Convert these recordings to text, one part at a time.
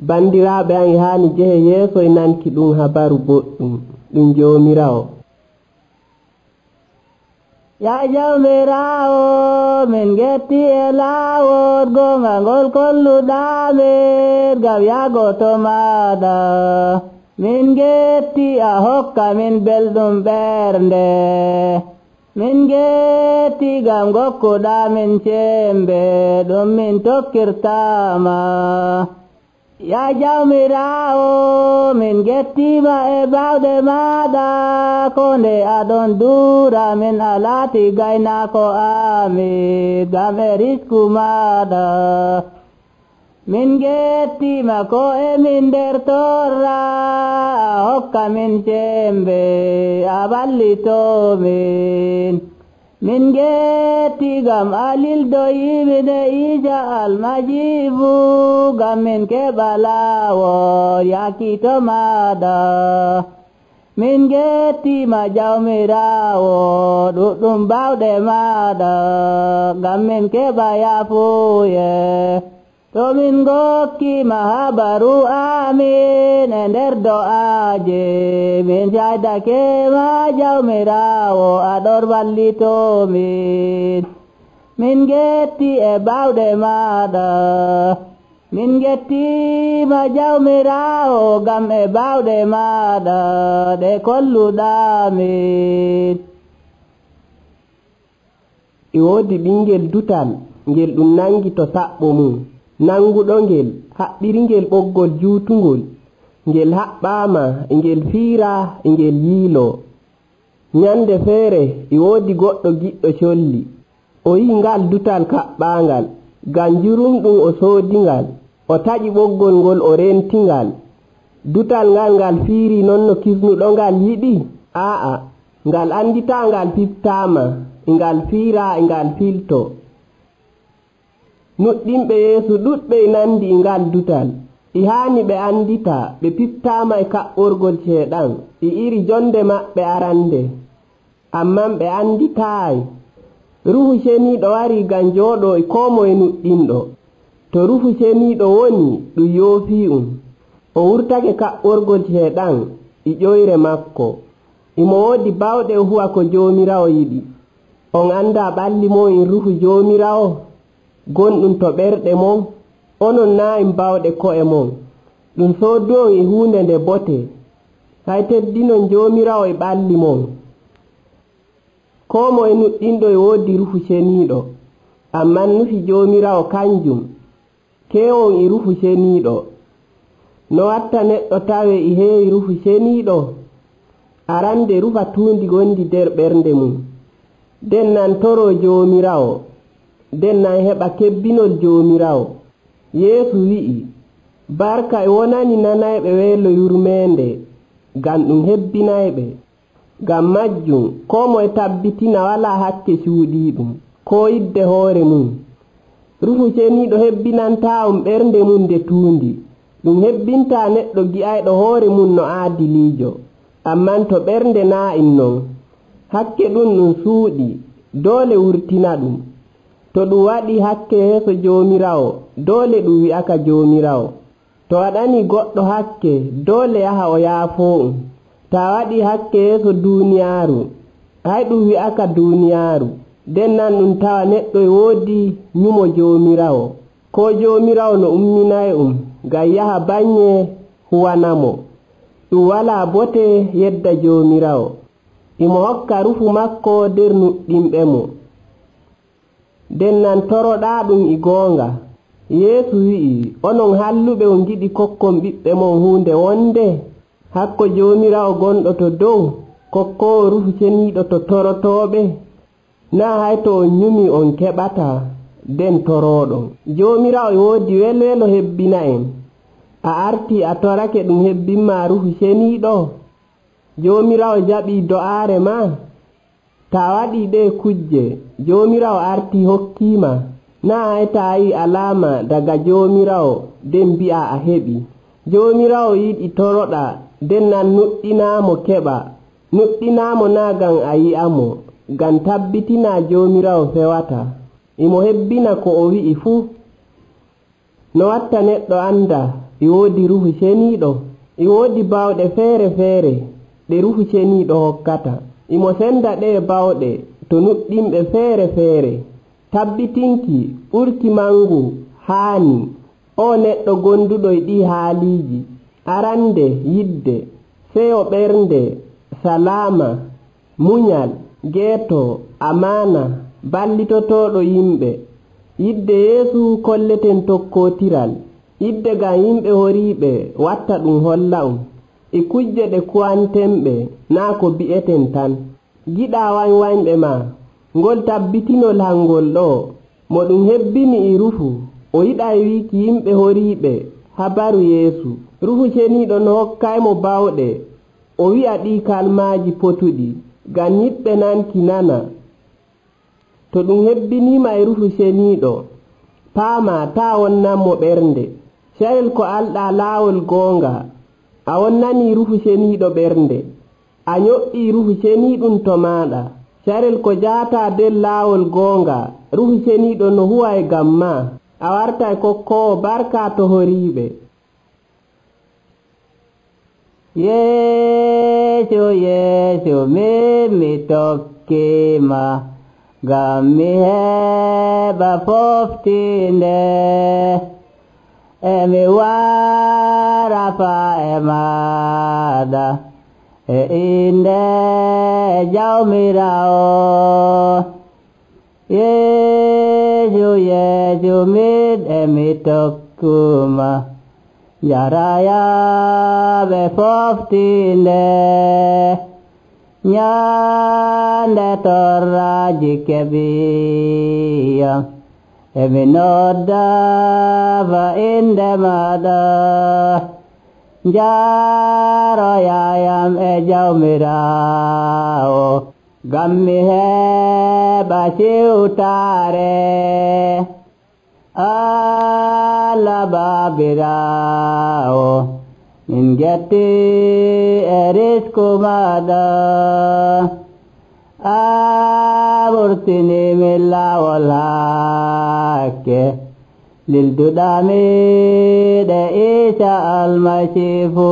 Bandiraɓe an haani jehe yeeso e nanki ɗum habaru boɗɗum ɗum Jomirawo. Ya Jomirawo min getti e laawol gonga ngol kolluɗamin ngam yago to maɗa. Min getti a hokka min belɗum ɓernde. Min getti ngam gokkuɗa min cembe ɗum min tokkirtama. Ya Jomirawo min gettima e bawɗe maɗa ko nde aɗon duura min a laati gaynako amin ngam e risku maɗa. Min gettima ko emin nder torra a hokka min cembe a ballitomin. Min getti ngam a lildoyimin e ija almajibu ngam min keɓa laawol yaki to maɗa. Min gettima Jawmirawo ɗuɗɗum bawɗe maɗa ngam min keɓa yafuye. To min gokkima habaru amin e nder do'aje min shaydake ma Jawmirawo aɗon wallitomin. Min getti e bawɗe maɗa. Min gettima Jawmirawo ngam e bawɗe maɗa ɗe kolluɗamin. E woodi ɓingel dutal ngel ɗum nangi to saɓɓo mum. Nanguɗo ngel haɓɓiringel ɓoggol juutungol, ngel haɓɓama e ngel fiira e ngel yiilo. Nyande feere e woodi goɗɗo giɗɗo colli. O yi'i ngal dutal kaɓɓangal ngam jurumɗum o soodingal. O taƴi ɓoggol ngol o rentingal. Dutal ngal fiiri non no kisnuɗo ngal yiɗi? Aa, ngal andita ngal fiftama e ngal fiira e ngal filto. Nuɗɗinɓe Yeesu ɗuɗɓe nandi e ngal dutal. E haani ɓe andita ɓe piftama e kaɓɓorgol ceeɗan e iri jonde maɓɓe arande. Amman ɓe anditaayi. Ruhu Ceniiɗo wari ngam jooɗo e koo moye nuɗɗinɗo. To Ruhu Ceniiɗo woni ɗum yoofii o wurtake kaɓɓorgol ceeɗan e ƴoyre makko. Imo woodi bawɗe o huwa ko Joomirawo yiɗi. On anda ɓalli mon e Ruhu Joomirawo gonɗum to ɓerɗe mon. Onon naa en bawɗe ko'e mon. Ɗum soodu'on e huunde nde bote. Hay teddinon Joomirawo e ɓalli mon. Koo moye nuɗɗinɗo e woodi Ruhu Ceniiɗo. Amman nufi Joomirawo kanjum keewon e Ruhu Ceniiɗo. No watta neɗɗo tawe e heewi Ruhu Ceniiɗo? Arande rufa tuundi gondi nder ɓernde mum. Den nan toroo Joomirawo. Den nan heɓa kebbinol Joomirawo. Yeesu wi'i barka e wonani nanayɓe weelo yurmeende ngam ɗum hebbinayɓe. Ngam majjum koo moye tabbitina walaa hakke cuuɗiiɗum koo yidde hoore mum. Ruhu Ceniiɗo hebbinantaa'on ɓernde mum nde tuundi. Ɗum hebbintaa neɗɗo gi'ayɗo hoore mum no aadiliijo. Amman to ɓernde naa en non, hakke ɗum suuɗi doole wurtina ɗum. To ɗum waɗi hakke yeeso Joomirawo doole ɗum wi'aka Joomirawo. To waɗani goɗɗo hakke doole yaha o yaafoo. Ta waɗi hakke yeeso duuniyaaru hay ɗum wi'aka duuniyaaru. Den nan ɗum tawa neɗɗo e woodi nyumo Joomirawo. Ko Joomirawo no umminay ngam yaha baŋŋe huwanamo. Ɗum walaa bote yedda Joomirawo. Imo hokka rufu makko nder nuɗɗinɓe mo. Den nan toroɗaa ɗum e goonga. Yeesu wi'i onon halluɓe on giɗi kokkon ɓiɓɓe mon huunde wonde. Hakko Joomirawo gonɗo to dow kokkoowo Ruhu Ceniiɗo to torotooɓe. Naa hay to on nyumi on keɓataa den torooɗon. Joomirawo e woodi welwelo hebbina en. A artii a torake ɗum hebbinmaa Ruhu Ceniiɗo. Joomirawo jaɓii do'aare ma. Ta waɗii ɗee kujje Joomirawo artii hokkiima. Naa hay taa yii alaama daga Joomirawo den mbi'a a heɓi. Joomirawo yiɗi toroɗa nden nan nuɗɗinaamo keɓa. Nuɗɗinaamo naa ngam a yi'amo, ngam tabbitina Joomiraawo fewata. Imo hebbina ko o wi'i fuu. No watta neɗɗo anda e woodi Ruuhu Ceniiɗo? E woodi bawɗe feere feere ɗe Ruuhu Ceniiɗo hokkata. Imo senda ɗee bawɗe to nuɗɗinɓe feere feere. Tabbitinki ɓurki mangu haani o neɗɗo gonduɗo e ɗi haaliiji. Arande yidde, seyo ɓernde, salama, munyal, geeto, amana, ballitotoɗo yimɓe. Yidde Yeesu kolleten tokkotiral. Yidde ngam yimɓe horiiɓe watta ɗum holla'um. E kujje ɗe kuwantenɓe naa ko bi'eten tan. Giɗa wañwañɓe ma, ngol tabbitinol hangol ɗo mo ɗum hebbini e Ruuhu. O yiɗa wiiki yimɓe horiiɓe habaru Yeesu. Ruuhu Ceniiɗo no hokkaymo bawɗe o wi'a ɗi kalmaaji potuɗi ngam yiɗɓe nanki nana. To ɗum hebbiniima e Ruuhu Ceniiɗo, paama taa wonnanmo ɓernde. Carel ko alɗaa laawol goonga, a wonnanii Ruuhu Ceniiɗo ɓernde. A nyo'ii Ruuhu Ceniiɗum to maaɗa. Carel ko jahataa nder laawol goonga, Ruuhu Ceniiɗo no huwa e ngam maa. A wartay kokkoowo barka to horiiɓe. Yeesu Yeesu mi tokkima, ngam mi heɓa foftinde. Emi wara faa e maaɗa e inde Jawmiraawo. Yeesu Yeesu emi tokkuma, yarayaɓe foftinde. Nyande torraji keɓiyam, emi nodda fa inde maɗa. Njaroyayam e Jawmiraawo, ngam mi heɓa siwtare. Allah Babiraawo, min getti e risku maɗa. A wurtini min laawol hakke, lilduɗami ɗe Isa Almasiihu.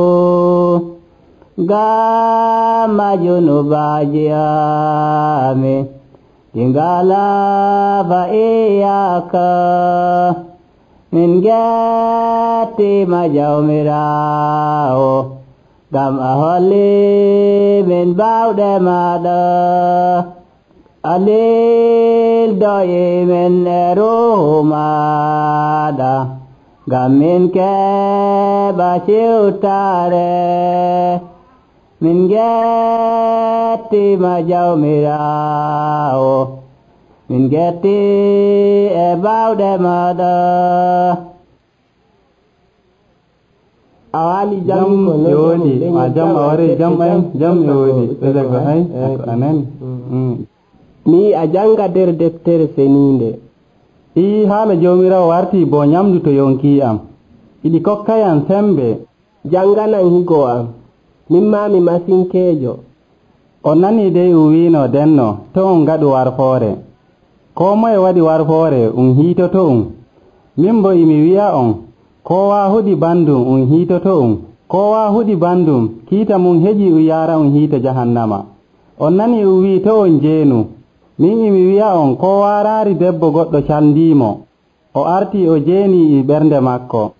Ngam junubaji amin ɗi ngalaa fa iyaka. Min gettima Jawmiraawo, ngam a holli min bawɗe maɗa. A lildoyi min e Ruuhu maɗa, ngam min keɓa siwtare. Min gettima Jawmiraawo, min getti e bawɗe maɗa. A waali jam ko yodi a jam a wari jam yodi ɓe ko hay anen mi a janga nder deftere seninde. I haala Jawmiraawo warti bo nyamdu to yonki am, iɗi kokkayam sembe. Janganan higo am, min ma mi masinkeejo. On nani dey wiino denno to on ngaɗu warfoore. Ko moye waɗi warfoore hiitoto min bo imi wi'a on, kowa huɗi bandum hiitoto kowa huɗi bandum kiita mum heƴi yara hiita jahannama. On nani wi to on jeenu, min imi wi'a on ko waraari debbo goɗɗo calndimo, o arti o jeeni e ɓernde makko.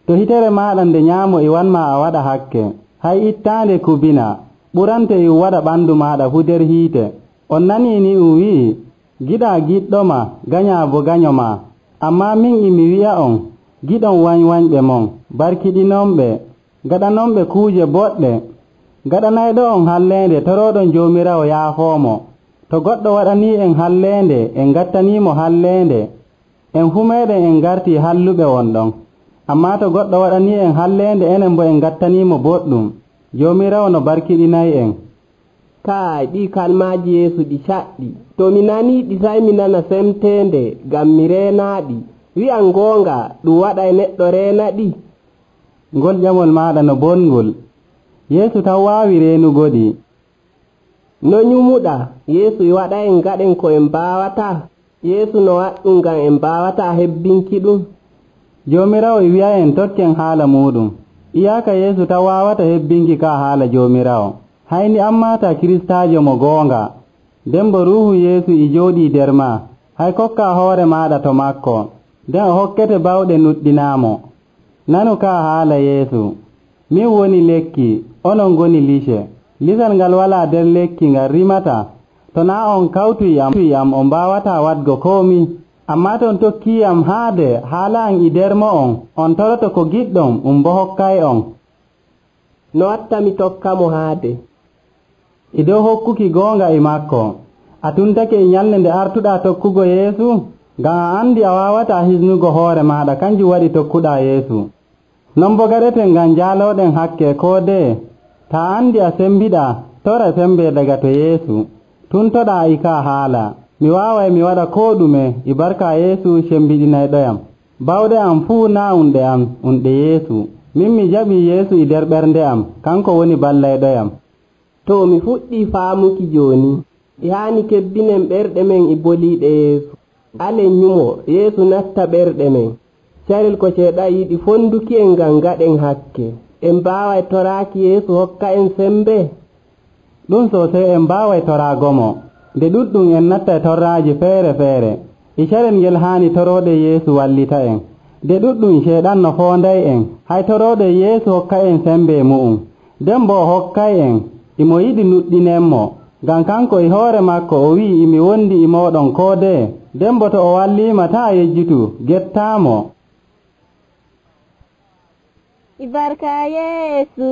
To hitere maɗa nde nyaamo e wanma a waɗa hakke, hay ittaande kubina ɓurante e waɗa ɓandu maɗa fu der hiite. On nani ni wi'i giɗa giɗɗoma ganya bo ganyoma. Amma min imi wi'a on, giɗon wañwañɓe mon, barkiɗinomɓe, gaɗanomɓe kuuje boɗɗe. Gaɗanayɗo on hallende toroɗon Jawmiraawo yaafoomo. To goɗɗo waɗani en hallende en gattanimo hallende, en fu meɗen en garti halluɓe wonɗon. Amma to goɗɗo waɗani en hallende enen bo en gattanimo boɗɗum, Jawmiraawo no barkiɗinay en. Kai ɗi kalmaji Yeesu ɗi caɗɗi. To mi nani ɗi sai mi nana semtende ngam mi reenaɗi. Wi'an gonga ɗum waɗa neɗɗo reenaɗi. Ngol ƴamol maɗa no bongol. Yeesu taw waawi reenugoɗi. No nyumuɗa Yeesu waɗa en gaɗen ko en mbaawata? Yeesu no waɗɗum ngam en mbaawata hebbinki ɗum. Joomiraawo wi'a en tokken haala muɗum. Iyaaka Yeesu taw waawata hebbinki ka haala Joomiraawo. Hayni ammata kiristaajo mo goonga. Nden bo Ruuhu Yeesu e jooɗii nder maa. Hay kokkaa hoore maaɗa to makko. Nden o hokkete bawɗe nuɗɗinaamo. Nanu ka haala Yeesu. Min woni lekki, onon ngoni lice. Lisal ngal walaa nder lekki ngal rimata. To naa on kawtuy am on mbaawata waɗgo koomi. Ammaa to on tokkiiyam haade haala am e nder mo'on, on toroto ko giɗɗon bo hokkay on. No watta mi tokka mo haade? E dow hokkuki goonga e makko. A tuntake e nyalnde nde artuɗaa tokkugo Yeesu? Ngam a andi a waawata hisnugo hoore maaɗa, kanjum waɗi tokkuɗaa Yeesu. Non bo gaɗeten ngam jaalooɗen hakke koo dee. Taa andi a sembiɗaa, tora sembe daga to Yeesu. Tuntoɗaa e ka haala. Mi waaway mi waɗa koo ɗume e barka Yeesu sembiɗinayɗoyam. Bawɗe am fuu naa unɗe am, unɗe Yeesu. Min mi jaɓii Yeesu e nder ɓernde am, kanko woni ballayɗoyam. To mi fuɗɗii faamuki jooni, e haani kebbinen ɓerɗe men e boliiɗe Yeesu. Alen nyumo Yeesu natta ɓerɗe men. Carel ko ceeɗa yiɗi fonduki en ngam gaɗen hakke. En mbaaway toraaki Yeesu hokka en sembe. Ɗum sosai en mbaaway toraagomo. Nde ɗuɗɗum en natta e torraaji feere feere. E carel ngel haani torooɗe Yeesu wallita en. Nde ɗuɗɗum ceeɗan no foonday en. Hay torooɗe Yeesu hokka en sembe mu'um. Nden bo o hokkay en. Imo yiɗi nuɗɗinenmo. Ngam kanko e hoore makko o wi'i imi wondi e mooɗon koo dee. Nden bo to o walliima taa yejjitu, gettaamo. Ibarka Yesu,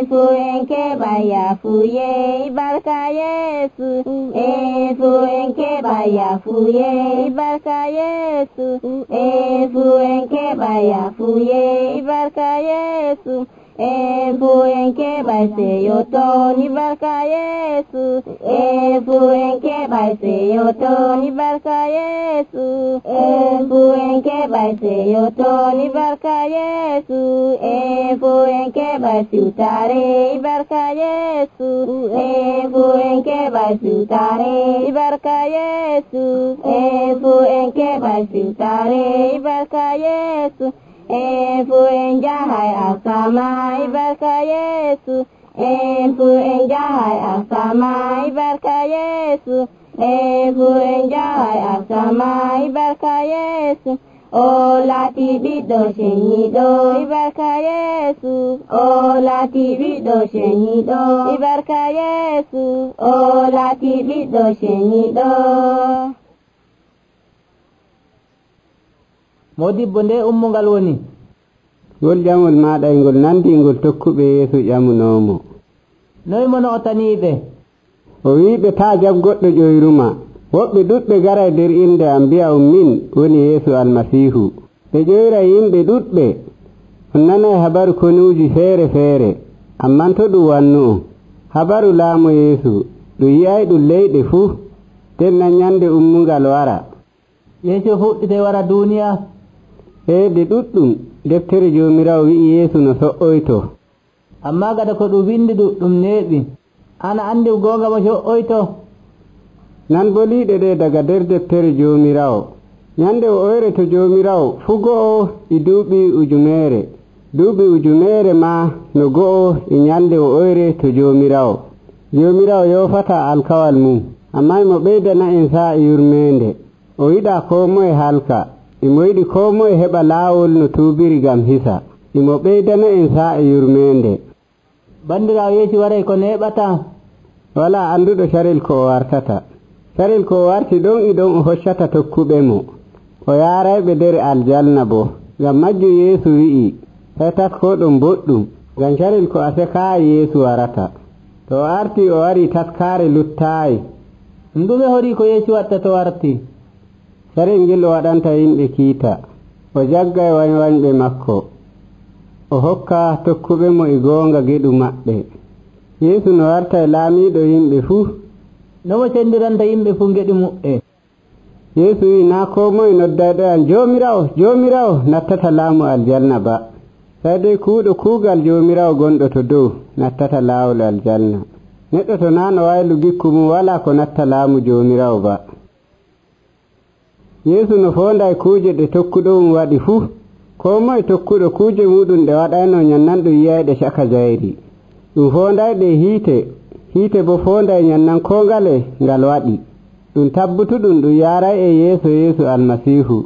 fu enke baya fuye. Ibarka Yesu, fu enke baya fuye. Ibarka Yesu, fu enke baya fuye. Ibarka Yesu, fu enke baise yoton. Ibarka Yesu, fu enke baise yoton. Ibarka Yesu, fu enke baise yoton. Ibarka Yesu, fu enke baise utare. Ibarka Yesu, fu enke baise utare. Ibarka Yesu, fu enke baise utare. Ibarka Yesu, fu enjahai asama. Ibarka Yesu, fu enjahai asama. Ibarka Yesu, fu enjahai asama. Ibarka Yesu, o lati ɓiɗɗo shenyiɗo. Ibarka Yesu, o lati ɓiɗɗo shenyiɗo. Ibarka Yesu, o lati ɓiɗɗo shenyiɗo. Modibbo nde ummungal woni? Ngol ƴamol maaɗa e ngol nandi ngol tokkuɓe Yeesu ƴamunoomo. Noy mono o taniiɓe? O wiiɓe taa jab goɗɗo ƴoyruma. Woɓɓe ɗuɗɓe garay nder inde am mbi'a min woni Yeesu almasiihu. Ɓe ƴoyra yimɓe ɗuɗɓe. On nanay habaru konuuji feere feere, amman to ɗum wannu on. Habaru laamu Yeesu ɗum yi'ay ɗum leyɗe fuu. Nden nan nyande ummungal wara. Yeesu fuɗɗite wara duuniya? Heede ɗuɗɗum deftere Joomiraawo wi'i Yeesu no so''oyto. Ammaa gada ko ɗum windi ɗum neeɓi. Ana anndi goonga mo so''oyto? Nan boliiɗe ɗe daga nder deftere Joomiraawo. Nyande o oyre to Joomiraawo fuu go'o e duuɓi ujuneere. Duuɓi ujuneere maa no go'o e nyande o oyre to Joomiraawo. Joomiraawo yoofata alkawal mum, ammaa imo ɓeydana en saa e yurmeende. O yiɗaa koo moye halka. Imo yiɗi koo moye heɓa laawol no tuubiri gam hisa. Imo ɓeydana en saa e yurmeende. Banndiraawo Yeesu waray ko neeɓata? Walaa annduɗo carel ko o wartata. Carel ko o warti ɗon e ɗon o hoccata tokkuɓe mo. O yaarayɓe nder aljanna bo. Ngam majjum Yeesu wi'i, hetat koo ɗon boɗɗum. Ngam carel ko a sekaayi Yeesu warata. To o arti o wari taskaare luttaayi. Ɗume horii ko Yeesu watta to warti? Carel ngel o waɗanta yimɓe kiita. O jaggay wañwañɓe makko. O hokka tokkuɓe mo e goonga geɗu maɓɓe. Yeesu no warta e laamiiɗo yimɓe fuu. Nomo cendiranta yimɓe fuu geɗu muɓɓe? Yeesu wi naa koo moye noddayɗo an Joomiraawo Joomiraawo nattata laamu aljanna ba. sai dai kuuɗo kuugal joomiraawo gonɗo to dow nattata laawol aljanna. Neɗɗo to naa no waylu gikku mum walaa ko natta laamu joomiraawo ba. Yeesu no foonday kuuje ɗe tokkuɗo waɗi fuu, koo moye tokkuɗo kuuje muɗum ɗe waɗayno nyannan ɗum yiyayɗe caka jayri. Ɗum foondayɗe hiite bo foonday nyannan koo ngale ngal waɗi. Ɗum tabbutuɗum ɗum yaaray e Yeesu Almasiihu,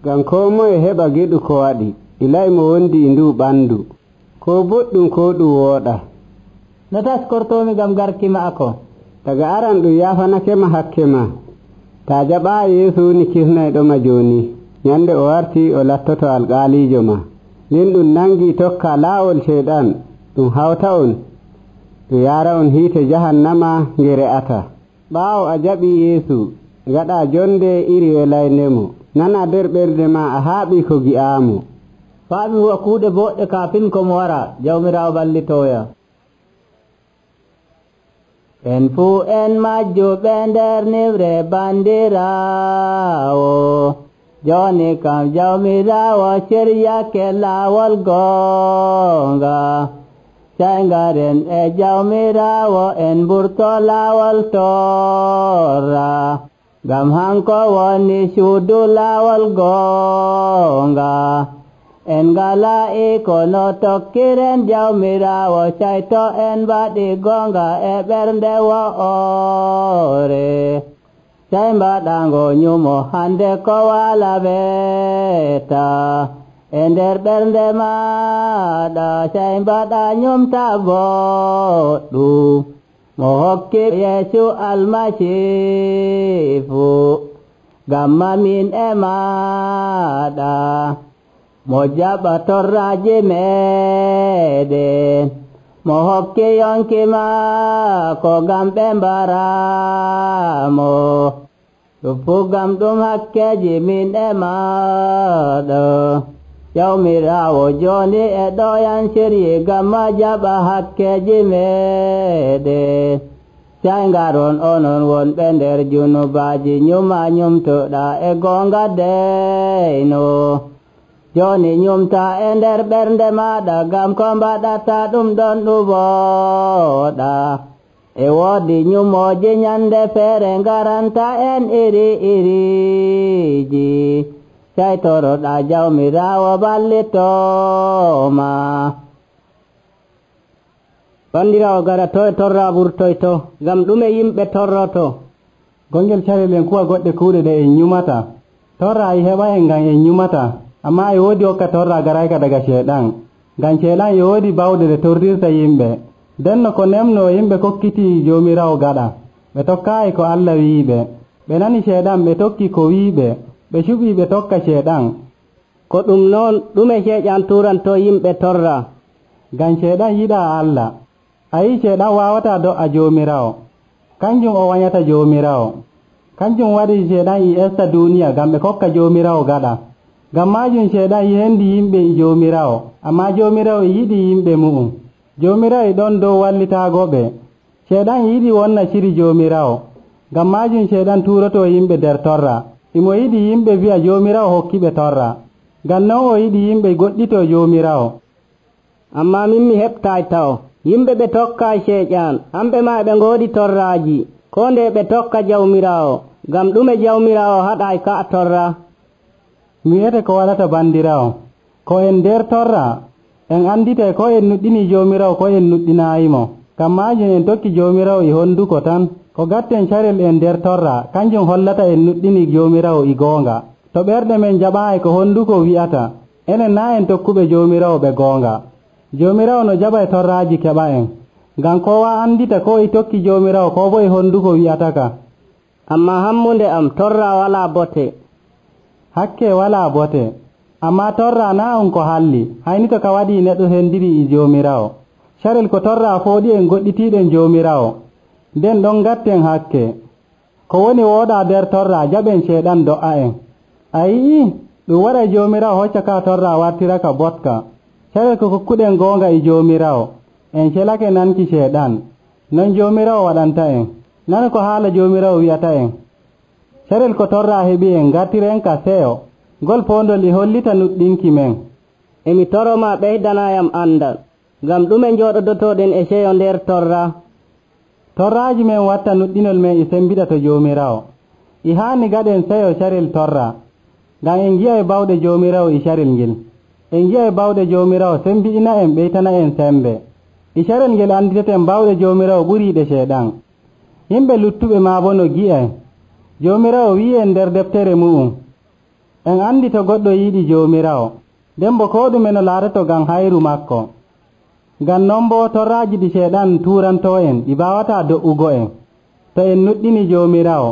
ngam koo moye heɓa geɗu ko waɗi, ilay mo wondi e nduu ɓandu, koo boɗɗum koo ɗum wooɗa. No taskortoomi ngam garki ma'ako? Daga aran ɗum yaafanakema hakke ma. taa jaɓaa Yeesu woni kisnayɗoma jooni, nyande o warti o lattoto alƙaaliijo ma. Nden ɗum nangii tokka laawol Ceyɗan, ɗum hawta on ɗum yaara on hiite jahannama nge re'ata. Ɓaawo a jaɓii Yeesu, ngaɗaa jonde iri welaynemo, nana nder ɓernde ma a haaɓii ko gi'aamo. Faami huwa kuuɗe boɗɗe kaafin ko mo wara, Jawmiraawo ballitooya. En fuu en majjuɓe nder niwre bandiraawo, jooni kam Jawmiraawo ciryake laawol goonga. Sey ngaren e Jawmiraawo en mburto laawol torra, ngam hanko woni suudu laawol goonga. En ngala iko no tokkiren Jawmiraawo, sayto en mbaɗi goonga e ɓernde wo'ore. Sey mbaɗango nyumo hande ko wala weta e nder ɓernde maɗa, sey mbaɗa nyumta boɗɗum mo hokki Yeesu Almasiihu, ngam mamin e maɗa. Mo jaɓa torraaji meɗen, mo hokki yonki maako ngam ɓe mbaramo. Ɗum fuu ngam ɗum hakkeji min e maɗa. Jawmiraawo jooni e ɗoyan siryi ngam ma jaɓa hakkeji meɗen. Sey ngaron onon wonɓe nder junubaaji, nyuma nyumtuɗa e goonga deyno. Jooni nyumta e nder ɓernde maɗa, ngam ko mbaɗata ɗum ɗon ɗum wooɗa. E woodi nyumooji nyande feere ngaranta en iri-iriji, sey toroɗa Jawmiraawo ballitooma. Bandiraawo garato e torra ɓurtoyto, ngam ɗume yimɓe torroto? Gongel carel en kuwa goɗɗe kuuɗe ɗe en nyumata. Torra e heɓa en ngam en nyumata, amma e woodi hokka torra garayka daga Ceyɗan, ngam Ceyɗan e woodi bawɗe ɗe torrirta yimɓe. Denno ko nemno yimɓe kokkiti Joomiraawo gaɗa, ɓe tokkaayi ko Allah wi'iɓe. Ɓe nani Ceyɗan ɓe tokki ko wi'iɓe, ɓe cuɓii ɓe tokka Ceyɗan. Ko ɗum noon ɗume Ceyɗan turanto yimɓe torra? Ngam Ceyɗan yiɗaa Allah. A yii Ceyɗan waawataa do'a Joomiraawo, kanjum o wanyata Joomiraawo. Kanjum waɗi Ceyɗan e esta duuniya ngam ɓe kokka Joomiraawo gaɗa. Ngam maajum Ceyɗan yendi yimɓe e Joomiraawo, ammaa Joomiraawo e yiɗi yimɓe mu'um. Joomiraawo e ɗon dow wallitaagoɓe. Ceyɗan yiɗi wonna ciri Joomiraawo, ngam maajum Ceyɗan tuuroto yimɓe nder torra. Imo yiɗi yimɓe wi'a Joomiraawo hokkiɓe torra, ngam non o yiɗi yimɓe goɗɗito Joomiraawo. Ammaa min mi heɓtaay taw, yimɓe ɓe tokka Ceyɗan, hamɓe maa ɓe ngoodi torraaji, koo nde ɓe tokka Jawmiraawo. Ngam ɗume Jawmiraawo haɗaay ka torra? Mi wi'ete ko waɗata bandiraawo, ko en nder torra en anditay ko en nuɗɗini Joomiraawo ko en nuɗɗinaayimo. Ngam maajum en tokki Joomiraawo e honduko tan. Ko gatten carel en nder torra kanjum hollata en nuɗɗini Joomiraawo e goonga. To ɓerɗe men jaɓaayi ko honduko wi'ata, enen naa en tokkuɓe Joomiraawo ɓe goonga. Joomiraawo no jaɓa e torraaji keɓa en, ngam kowa andita ko e tokki Joomiraawo ko bo e honduko wi'ataka. Ammaa hammunde am torra walaa bote. Hakke walaa bote, ammaa torra naa on ko halli, hayni to ka waɗii neɗɗo hendiri e Joomiraawo. Carel ko torra fooɗi en goɗɗitiiɗen Joomiraawo, nden ɗon gatten hakke. Ko woni wooɗaa nder torra jaɓen Ceyɗan do'a en. A yi'ii ɗum waɗa Joomiraawo hocca ka torra wartira ka botka. Carel ko kokkuɗen goonga e Joomiraawo, en celake nanki Ceyɗan, non Joomiraawo waɗanta en. Nani ko haala Joomiraawo wi'ata en. Carel ko torra heɓi en gartiren ka seyo, ngol poondol e hollita nuɗɗinki men. emi toroma ɓeydanayam andal ngam ɗume jooɗodotoɗen e seyo nder torra. torraaji men watta nuɗɗinol men e sembiɗa to joomiraawo. e haani gaɗen seyo carel torra ngam en gi'a e bawɗe joomiraawo e carel ngel. en gi'a e bawɗe joomiraawo sembiɗina en ɓeytana en sembe. e carel ngel anditeten bawɗe joomiraawo ɓuriiɗe ceeɗan. yimɓe luttuɓe maa bo no gi'e joomiraawo wi'i en nder deftere mu'um. en andi to goɗɗo yiɗi joomiraawo nden bo koo ɗume no laatoto ngam hayru makko. ngam non bo torraaji ɗi ceeɗan tuurantoo en ɗi mbaawataa do'ugo en to en nuɗɗini joomiraawo.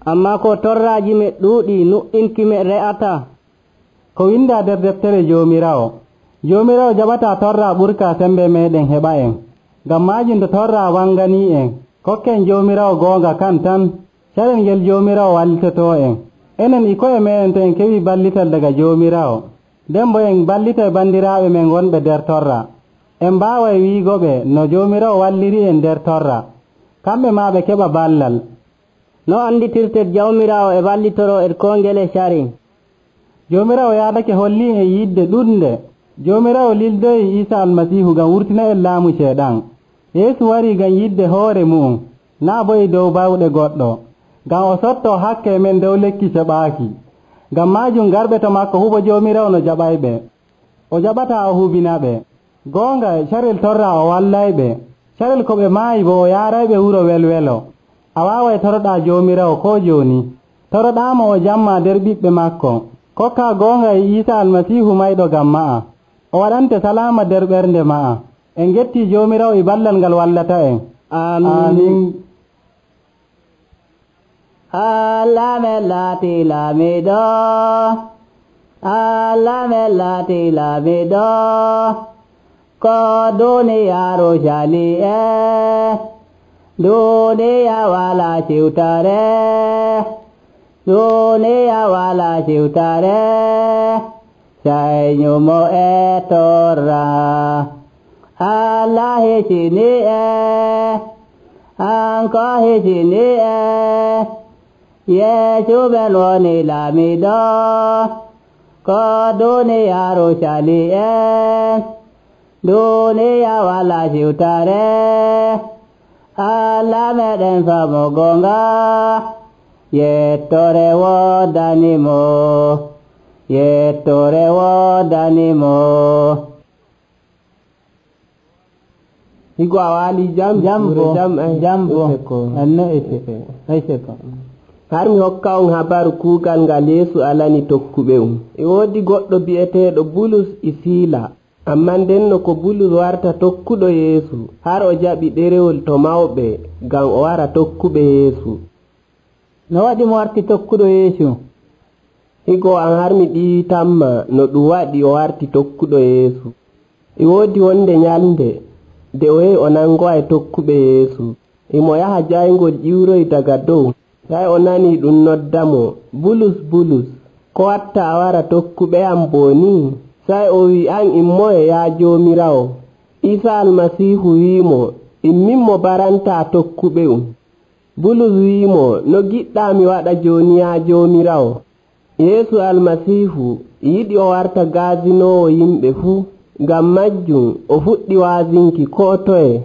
amma ko torraaji me ɗuuɗi nuɗɗinki me re'ata. ko windaa nder deftere joomiraawo jaɓataa torraa ɓurkaa sembe meeɗen heɓa en. ngam maajum to torraa wanganii en kokken joomiraawo goonga kan tan carel ngel joomiraawo wallitotoo en. enen e koye meɗen to en keɓii ballital daga joomiraawo nden bo en ballita e banndiraaɓe men wonɓe nder torra. en mbaaway wiigoɓe no joomiraawo walliri en nder torra kamɓe maa ɓe keɓa ballal. no anditirtet jawmiraawo e wallitoroo e koo ngel e cari. joomiraawo yaadake hollii en yidde ɗuɗnde. joomiraawo lildoyi Iisa almasiihu ngam wurtina en laamu ceeɗan. yeesu warii ngam yidde hoore mu'um naa bo e dow bawɗe goɗɗo ngam o sottoo hakke men dow lekki ceɓaaki. ngam maajum garɓe to makko hubo joomiraawo no jaɓayɓe. o jaɓataa o hubinaɓe. goonga carel torra o wallayɓe. carel ko ɓe maayi bo o yaarayɓe wuro welwelo. a waaway toroɗaa joomiraawo koo jooni. toroɗaamo o jamma nder ɓiɓɓe makko. kokkaa goonga e Iisa almasiihu mayɗo ngam ma'a. o waɗante salaama nder ɓernde ma'a. en gettii joomiraawo e ballal ngal wallata en. amin. Allah me laati laamiɗo, Allah me laati laamiɗo, ko duniyaaru jali duniya wala siwtare, duniya wala siwtare, sai nyumo e torra. Allah hecini anko hecini Yesu ben woni laamiɗo ko duniyaaru cali duniya wala siwtare. Allah meɗen famo gonga yettore woodanimo, yettore woodanimo. higo a waali jambo anno ete har mi hokka on habaru kuugal ngal Yeesu alani tokkuɓe e woodi goɗɗo bi'eteeɗo Bulus e Siila. amma ndenno ko Bulus warta tokkuɗo Yeesu har o jaɓi ɗerewol to mawɓe ngam o wara tokkuɓe Yeesu. no waɗi mo warti tokkuɗo Yeesu? higo an har mi ɗiitanma no ɗum waɗi o warti tokkuɗo Yeesu. e woodi wonde nyalnde nde o yehi o nangowa e tokkuɓe Yeesu. emo yaha jayngol ƴiwroy daga dow. sai o nani ɗum noddamo, Bulus Bulus, ko watta a wara tokkuɓe am boni? sai o wi, an immoye yaa joomiraawo? Iisa almasiihu wiimo, imminmo baranta tokkuɓe Bulus wiimo, no giɗɗa mi waɗa jooni yaa joomiraawo? Yeesu almasiihu yiɗi o warta gaazinoowo yimɓe fuu. ngam majjum o fuɗɗi waazinki koo toye.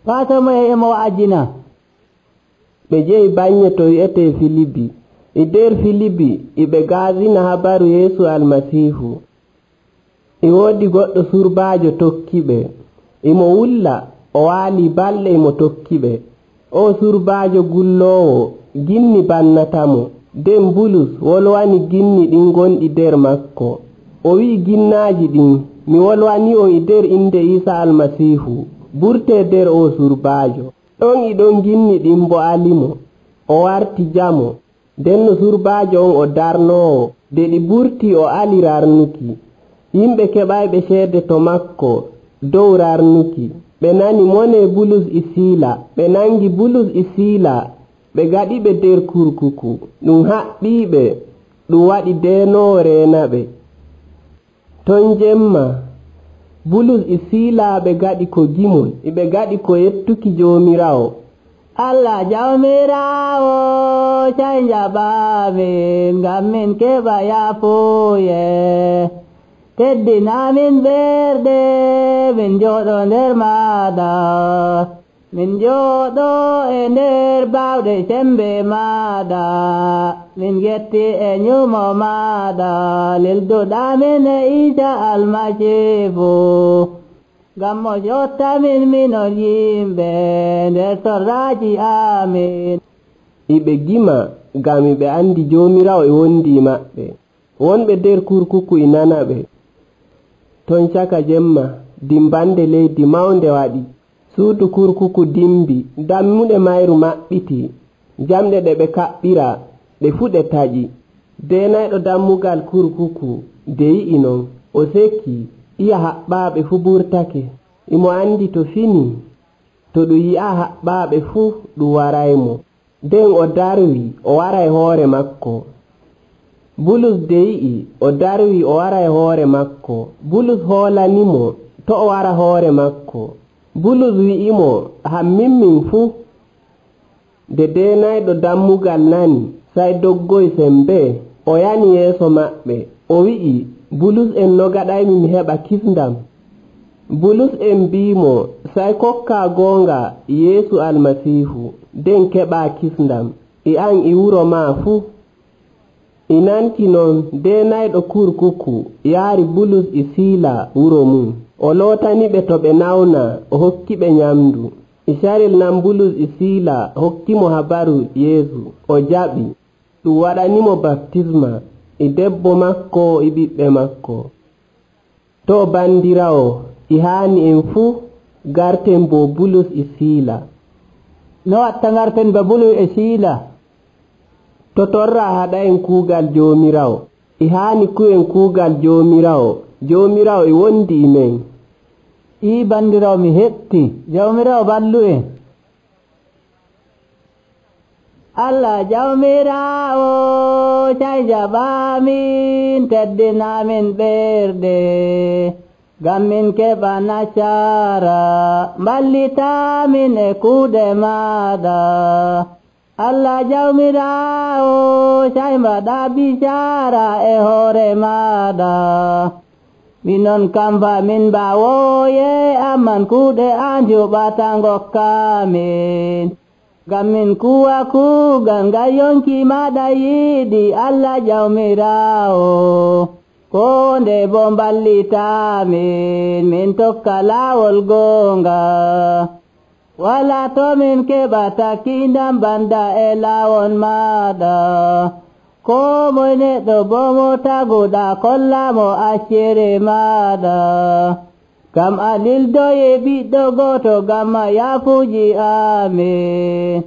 Faatomoye emo wa'ajina. ɓe jehi baŋŋe to wi'etee Filibi. e nder Filibi ɓe gaazina habaru Yeesu almasiihu. e woodi goɗɗo surbaajo tokkiɓe. emo wulla o waali balɗe emo tokkiɓe. o surbaajo gulloowo ginni bannatamo. nden Bulus wolwani ginni ɗin gonɗi nder makko. o wi'i ginnaaji ɗin, mi wolwani on e nder inde Iisa almasiihu, burtee nder o surbaajo. ɗon e ɗon ginni ɗin bo alimo. o warti jamo. nden no surbaajo on o darnoowo. nde ɗi burti o ali rarnuki. yimɓe keɓayɓe ceede to makko dow rarnuki. ɓe nani mone Bulus e Siila. ɓe nangi Bulus e Siila ɓe gaɗiɓe nder kurkuku. ɗum haɓɓiiɓe. ɗum waɗi deenoowo reenaɓe. ton jemma Bulus e Siila ɓe gaɗi ko gimol. ɓe gaɗi ko yettuki joomiraawo. Allah jawmiraawo cay jaɓaamin ngam min keɓa yaafuye. teddinaamin ɓerɗe min jooɗo nder maaɗa min jooɗo e nder baawɗe sembe maaɗa min getti e nyumo maaɗa lilduɗamin e Iisa almasiihu ngam mo jottamin minon yimɓe nder torraaji amin. Iɓe gima ngam iɓe andi Joomiraawo e wondi maɓɓe. Wonɓe nder kurkuku e nana ɓe. Ton caka jemma dimbande leydi mawnde waɗi. Suudu kurkuku dimbi, dammuɗe mayru maɓɓiti, jamɗe ɗe ɓe kaɓɓira ɗe fu ɗe taƴi. Deenayɗo dammugal kurkuku de yi'i non o sekki iya haɓɓaaɓe fu ɓurtake. Imo andi to fini to ɗum yi'a haɓɓaaɓe fu ɗum waraymo. Nden o darwi o wara e hoore makko. Bulus de yi'i o darwi o wara e hoore makko. Bulus hoolanimo to o wara hoore makko. Bulus wi'imo hammin fu. De deenayɗo dammugal nani sai doggoy sembe o yani yeeso maɓɓe o wi'i Bulus en no gaɗaymi mi heɓa kisndam. Bulus en mbimo sai kokka goonga Yeesu almasiihu nden keɓa kisndam e an e wuro ma fu. E nanti non deenayɗo kurkuku yaari Bulus e Siila wuro mum. O lootaniɓe to ɓe nawna o hokkiɓe nyamdu. E carel nan Bulus e Siila hokkimo habaru Yeesu o jaɓi. Ɗum waɗanimo baptisma e debbo makko e ɓiɓɓe makko. To bandirawo e haani en fu garten bo Bulus e Siila. No watta garten ba Bulus e Siila? To torra haɗa en kuugal Joomiraawo e haani ku'en kuugal Joomiraawo. Joomiraawo e wondi e men. I bandirawo mi heɓti. Jawmiraawo ballu en. Allah Jawmiraawo cay jaɓamin teddinamin ɓerɗe ngam min keɓa nasara mballitamin e kuuɗe maaɗa. Allah Jawmiraawo cay mbaɗa bicara e hoore maaɗa. Minon kamba min mbawoye amman kuuɗe an juɓata ngokkamin. Ngam min kuwa kuugal ngal yonki maɗa yiɗi Allah Jawmiraawo. Ko nde bo mballitamin min tokka laawol goonga. Wala to min keɓata kiindam banda e laawol maɗa. Ko moy neɗɗo bo mo taguɗa kollamo accere maɗa. Kam a lildoye ɓiɗɗo goto gamma yaafuji amin.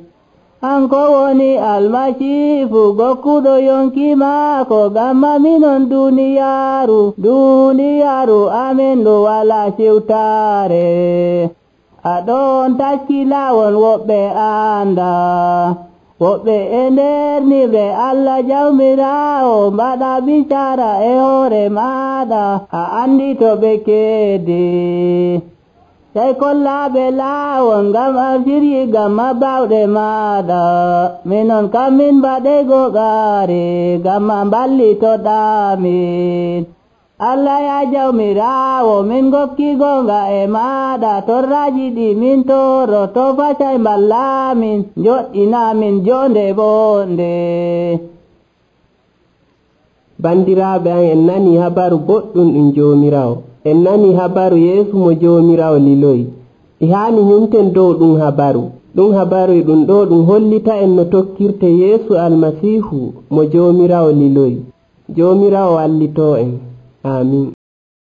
Hanko woni almasiihu gokkuɗo yonki maako gamma minon duniyaaru amin ɗo wala siwtare. Aɗon takki laawol woɓɓe anda. Woɓɓe e nder niɓre Allah Jawmiraawo mbaɗa bicara e hoore maɗa a andi to ɓe keedi. Sai kollaɓe laawol ngam a siryi gamma bawɗe maɗa. Minon kam min mbaɗe goɓaare gamma mballitoɗamin. Allah ya Jawmiraawo min gokki gonga e maɗa torraji ɗi min toro to facay mballamin joɗɗinamin jonde bonde. Bandiraɓe an en nani habaru boɗɗum ɗum Joomiraawo. En nani habaru Yeesu mo Joomiraawo liloyi. E haani nyumten dow ɗum habaru. Ɗum habaru ɗum ɗo ɗum hollita en no tokkirte Yeesu almasiihu mo Joomiraawo liloyi. Joomiraawo wallito en. Amin.